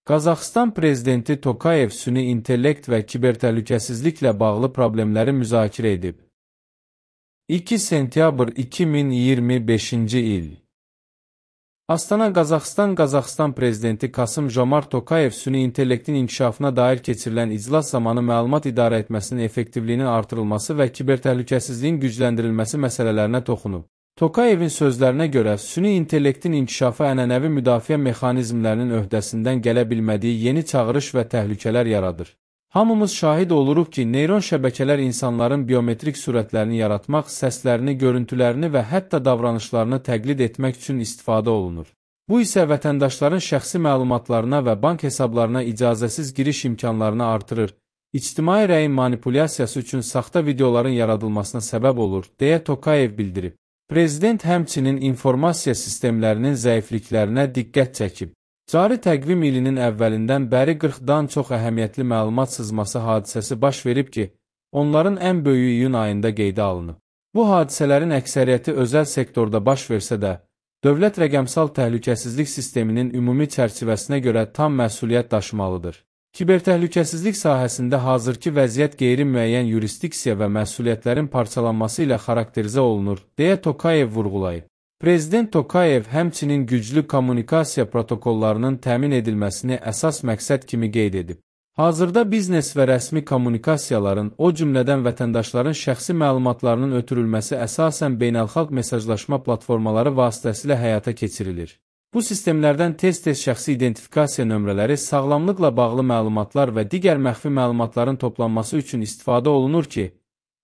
Qazaxıstan prezidenti Tokayev süni intellekt və kibertəhlükəsizliklə bağlı problemləri müzakirə edib. 2 sentyabr 2025-ci il. Astana, Qazaxıstan. Qazaxıstan prezidenti Kasım-Jomart Tokayev süni intellektin inkişafına dair keçirilən iclas zamanı məlumat idarə etməsinin effektivliyinin artırılması və kibertəhlükəsizliyin gücləndirilməsi məsələlərinə toxunub. Tokayevin sözlərinə görə, süni intellektin inkişafı ənənəvi müdafiə mexanizmlərinin öhdəsindən gələ bilmədiyi yeni çağırış və təhlükələr yaradır. Hamımız şahid oluruq ki, neyron şəbəkələr insanların biometrik surətlərini yaratmaq, səslərini, görüntülərini və hətta davranışlarını təqlid etmək üçün istifadə olunur. Bu isə vətəndaşların şəxsi məlumatlarına və bank hesablarına icazəsiz giriş imkanlarını artırır, ictimai rəyin manipulyasiyası üçün saxta videoların yaradılmasına səbəb olur, deyə Tokayev bildirib. Prezident həmçinin informasiya sistemlərinin zəifliklərinə diqqət çəkib. Cari təqvim ilinin əvvəlindən bəri 40-dan çox əhəmiyyətli məlumat sızması hadisəsi baş verib ki, onların ən böyüyü iyun ayında qeydə alınıb. Bu hadisələrin əksəriyyəti özəl sektorda baş versə də, dövlət rəqəmsal təhlükəsizlik sisteminin ümumi çərçivəsinə görə tam məsuliyyət daşımalıdır. Kibertəhlükəsizlik sahəsində hazırki vəziyyət qeyri-müəyyən yurisdiksiya və məsuliyyətlərin parçalanması ilə xarakterizə olunur, deyə Tokayev vurğulayıb. Prezident Tokayev həmçinin güclü kommunikasiya protokollarının təmin edilməsini əsas məqsəd kimi qeyd edib. Hazırda biznes və rəsmi kommunikasiyaların, o cümlədən vətəndaşların şəxsi məlumatlarının ötürülməsi əsasən beynəlxalq mesajlaşma platformaları vasitəsilə həyata keçirilir. Bu sistemlərdən tez-tez şəxsi identifikasiya nömrələri, sağlamlıqla bağlı məlumatlar və digər məxfi məlumatların toplanması üçün istifadə olunur ki,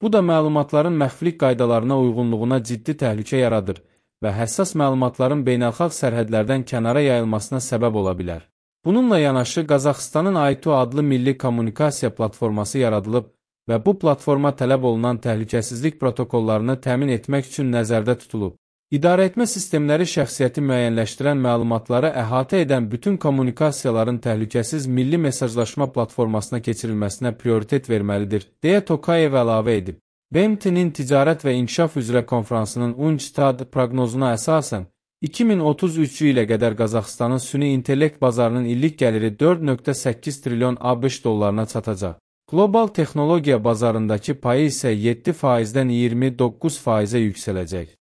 bu da məlumatların məxfilik qaydalarına uyğunluğuna ciddi təhlükə yaradır və həssas məlumatların beynəlxalq sərhədlərdən kənara yayılmasına səbəb ola bilər. Bununla yanaşı, Qazaxıstanın AITU adlı milli kommunikasiya platforması yaradılıb və bu platforma tələb olunan təhlükəsizlik protokollarını təmin etmək üçün nəzərdə tutulub. İdarəetmə sistemləri şəxsiyyəti müəyyənləşdirən məlumatları əhatə edən bütün kommunikasiyaların təhlükəsiz milli mesajlaşma platformasına keçirilməsinə prioritet verməlidir, deyə Tokayev əlavə edib. BMT-nin Ticarət və İnkişaf üzrə konfransının UNCTAD proqnozuna əsasən, 2033 ilə qədər Qazaxıstanın süni intellekt bazarının illik gəliri 4,8 trilyon ABŞ dollarına çatacaq. Qlobal texnologiya bazarındakı payı isə 7%-dən 29%-ə yüksələcək.